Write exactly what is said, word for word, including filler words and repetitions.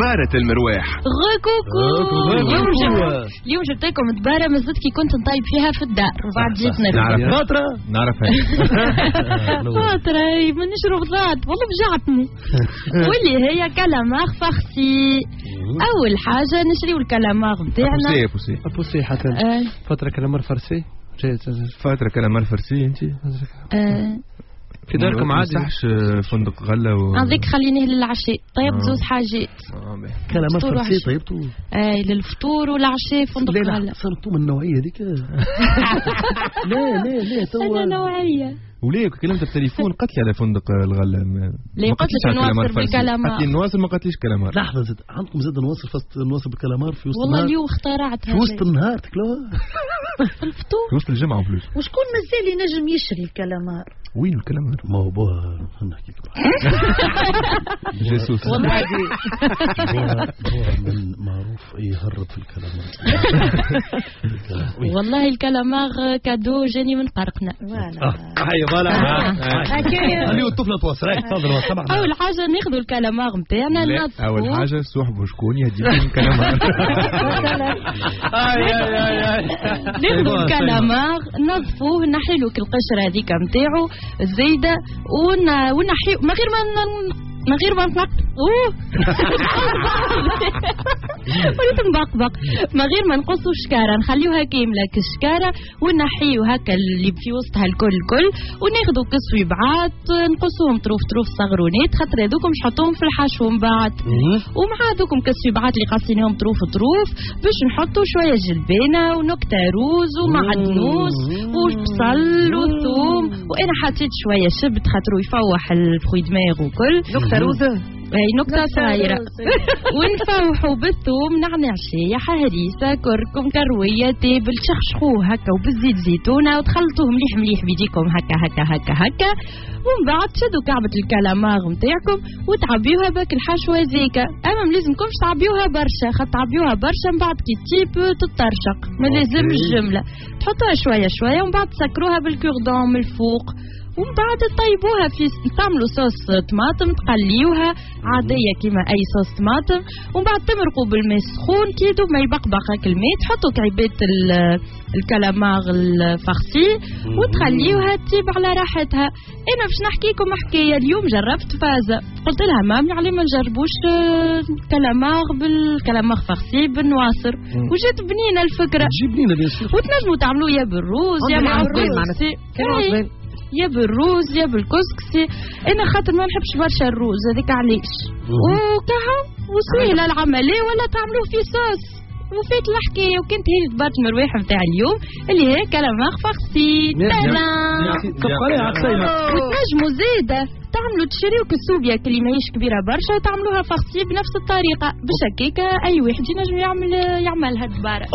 دبارة المرواح. غكوكو اليوم جبت اليوم جبت لكم دبارة مازلت كي كنت نطيب فيها في الدار وبعد جيت نعرف فترة نعرفها فترة ما نشرب ضاد والله بجعتني. واللي هي calamar farci. أول حاجة نشريو الكالامار نتاعنا. بوسي بوسي بوسي حتى فترة calamar farci فترة calamar farci انت في داركم عادي ما صحش فندق غله و هذيك خليناه للعشاء. طيب زوز حاجات calamar farci طيبته اي للفطور والعشاء فندق غله. لا صرتوا من النوعية هذيك. لا لا لا توا انا نوعية وليه كلمت بالتليفون قالت لي على فندق الغلة. لا قلت لك نواصل بالكلامار. قالت لي نواصل ما قالتليش كلامار. لحظة زاد عندكم زاد نواصل فاست نواصل بالكلامار في وسط والله اليوم اخترعتها في وسط النهار تاكلوها في الفطور في وسط الجمعة plus. وشكون مازال ينجم يشري الكلامار؟ وين الكلامار؟ ما هو بوها نحكي لك جاسوس والله بوها من معروف يهرب في الكلامار. والله ال calamar cadeau جاني من قرقنا. هيا voilà خليو الطفلة تواصل. تفضل. اول حاجة ناخذوا الكلامار نتاعنا ننظفوه. اول حاجة صاحبوا شكون يهديكم الكلامار. اي اي اي ناخذوا الكلامار نظفوه نحيلو القشرة هذيك نتاعو الزايدة ونحيو من غير ما من غير ما نطق اوه وليت نبقبق من غير ما نقصوا الشكاره نخليوها كاملة كالشكاره ونحيو هكا اللي في وسطها الكل الكل وناخذوا كصويبعات نقصوهم طروف طروف صغرونات خاطر هذوكم نحطوهم في الحشو من بعد ومع هذوكم كصويبعات اللي قاصينهم طروف طروف باش نحطوا شوية جلبانه ونكته روز ومعدنوس وبصل وثوم وانا حطيت شوية شبت خاطر يفوح ال fruits de mer وكل نكتة روزه اي نكتة صغيرة. ونفوحوا بالثوم نعناع شايحه هريسه كركم كروية تابل تشخشخوه هكا وبالزيت زيتونه وتخلطوه مليح مليح بيديكم هكا هكا هكا هكا ومن بعد تشدوا كعبه الكلامار نتاعكم وتعبيوها باك الحشوه هذيك. اما ما لازمكمش تعبيوها برشا خاطر تعبيوها برشا من بعد كي تطيب تطرشق ما لازمش جملة تحطوها شوية شوية ومن بعد تسكروها بال cure-dent من الفوق ومن بعد تطيبوها في تعملوا صوص طماطم تقليوها عادية كيما اي صوص طماطم ومن بعد تمرقوا بالماء السخون كي يدوب ما يبقبق هاك الماء تحطوا كعبات ال calamar ال farci وتخليوها تطيب على راحتها. انا باش نحكي لكم حكاية اليوم جربت فازة قلت لها مامي علي ما نجربوش calamar بال calamar farci بالنواصر وجات بنينه الفكرة. تجي بنينه bien sûr. وتنجموا تعملوا يا بالروز يا مع الكسكسي يا بالروز يا بالكسكسي. انا خاطر ما نحبش برشا الروز هذيك علاش وكها وسهلة العملية ولا تعملوه في صوص وفات الحكاية. وكنت هي دبارة المرواح نتاع اليوم اللي هي calamar farci. وتنجموا زاده تعملوا تشريو كسوبيا اللي ماهيش كبيرة برشا وتعملوها farcie بنفس الطريقة باش هكاك اي واحد ينجم يعمل يعملها دباره.